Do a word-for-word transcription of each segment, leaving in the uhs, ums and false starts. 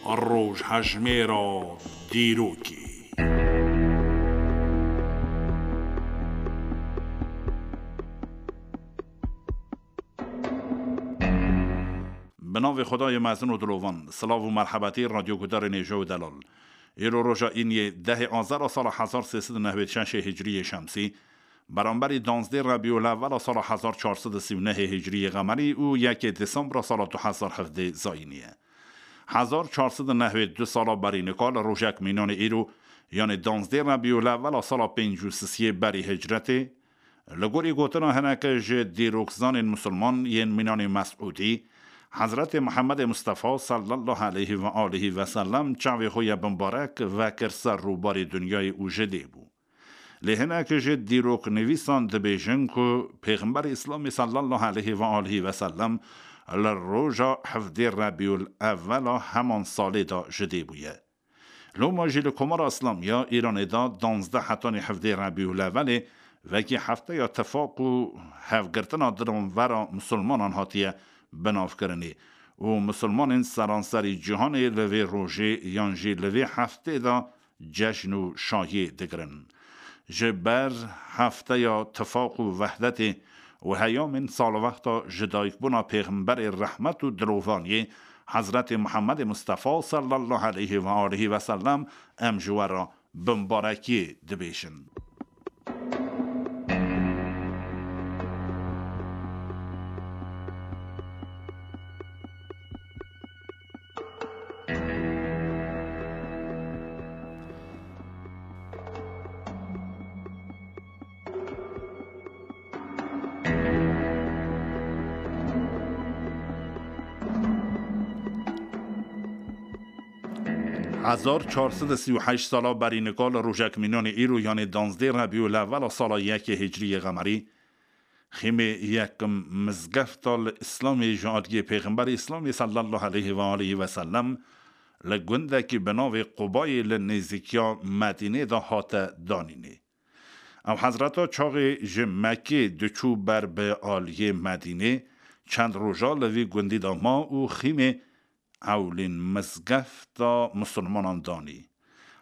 Rojhejmêra dîrokê. Bi navê Xwedayê mezin û dilovan, silav û merhebetî radyoguhdarên hêja û delal. Îro roja îniyê dehê Azera sala hezar sê sed û nehwêd şeşê hicriyê şemsî, beramberî danzdê Rebîul Ewwela sala hezar çar sed û sî û nehê hicriyê qemerî û yekê Desembra sala du hezar hevdê zayînî ye. Hezar çar sed û nehwêd du sala berî nika li rojek mînanê îro, yanê danzdê Rebîul Ewwela sala pêncî û sisiyê berî hicretê, li gorî gotina hineke ji dîrokzanên misilman yên mînanê Mesûdî, Hezretê Mihemedê Mistefa sallallahu aleyhi ve aleyhi ve sellem çavê xwe ye bimbarek vekir ser rûbarê dinyayê û ji dê bû. Lê hinek ji dîroknivîsan dibêjin ku Pêxemberê Îslamê sallallahu aleyhi ve aleyhi ve sellem li roja hevdê Rebîul Ewwela heman salê de ji dê bûye. Loma jî li Komara Îslamiya Îranê de danzdeh hetanî hevdê Rebîul Ewwelê wekî hefteya tifaq û hevgirtina diranvera misilmanan hatiye binavkirinê û misilmanên seranserî cîhanê li vê rojê yan jî li vê heftê de cejn û şahiyê digirin. Ji ber hefteya tifaq û wehdetê û heyamên salwexta ji dayikbûna Pêxemberê rehmet û dilovaniyê Hezretê Mihemedê Mistefa sallallahu aleyhi ve aleyhi ve sellem em ji we re bimbarekiyê dibêjin. Hezar çar sed û sî û heşt sala berî nika li rojek mînanê îro, yanê danzdê Rebîul Ewwela sala yekê Hicriyê Qemerî, xîmê yekim mizgefta li Îslamê ji aliyê Pêxemberê Îslamê sallallahu aleyhi ve aleyhi ve sellem li gundekî bi navê Qubayê li nêzîkiya Medînê de hate danînê. Ew hezreta çaxê ji Mekkê diçû ber bi aliyê Medînê, çend roja li vî gundî de ma û xîmê ewlîn mizgefta misilmanan danî.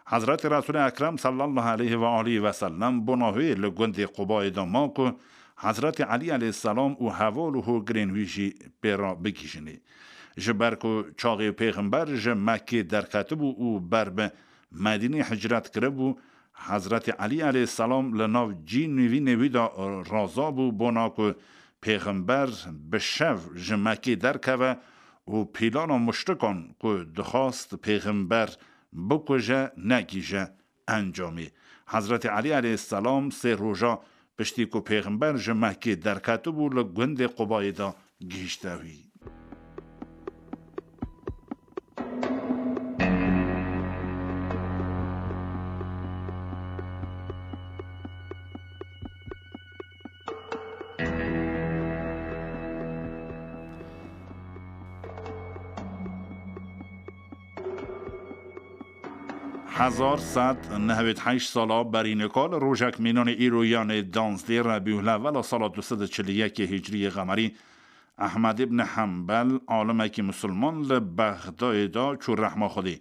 Hezretê Resûlê Ekrem sallallahu aleyhi ve aleyhi ve sellem bona wê li gundê Qubayê de ma ku Hezretê Elî aleyhisselam û heval û hogirên wî jî pê re bigihîjinê. Ji ber ku çaxê Pêxember ji Mekkê derketibû û ber bi Medînê hicret kiribû, Hezretê Elî aleyhisselam li nav cîn û vînê wî de raza bû bona ku Pêxember bi şev ji Mekkê derkeve û pîlana muşrikan ku dixwast Pêxember bikuje, negihîje encamê. Hezretê Elî aleyhisselam sê roja piştî ku Pêxember ji Mekkê derketibû, li gundê Qubayê de gihîşte wî. Hezar sed nehwêd heşt sala berî nika li rojek mînanê îro, yanê danzdê Rebîul Ewwela sala du sed û çil û yekê Hicriyê Qemerî, Ehmed îbn Hembel, alimekî misilman li Bexdayê de çû rehma Xwedê.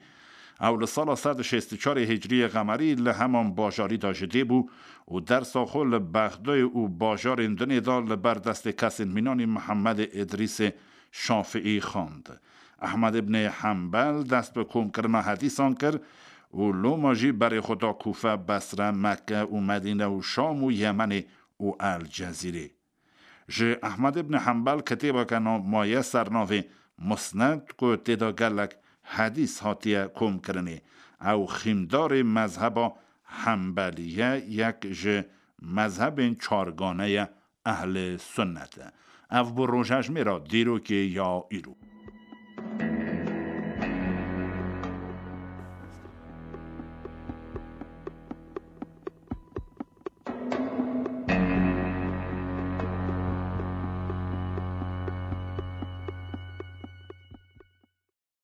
Ew li sala sed û şêst û çarê Hicriyê Qemerî li heman bajarî de ji dê bû û dersa xwe li Bexdayê û bajarên dinê de li ber destê kesên mînanî Mihemedê Îdrîsê Şafiî xwend. Ehmed îbnê Hembel dest bi komkirina hedîsan kir û loma jî berê xwe da Kûfe, Besre, Mekke û Medîne û Şam û Yemenê û El Cezîrê. Ji Ehmed îbnê Hembel kitêbeke na-, maye ser navê Musned ku tê de gelek hedîs hatiye komkirinê. Ew xîmdarê mezheba Hembelî ye, yek ji mezhebên çargane ye, Ehlê Sunnet e. Ev bû rojhejmêra dîrokê ya îro.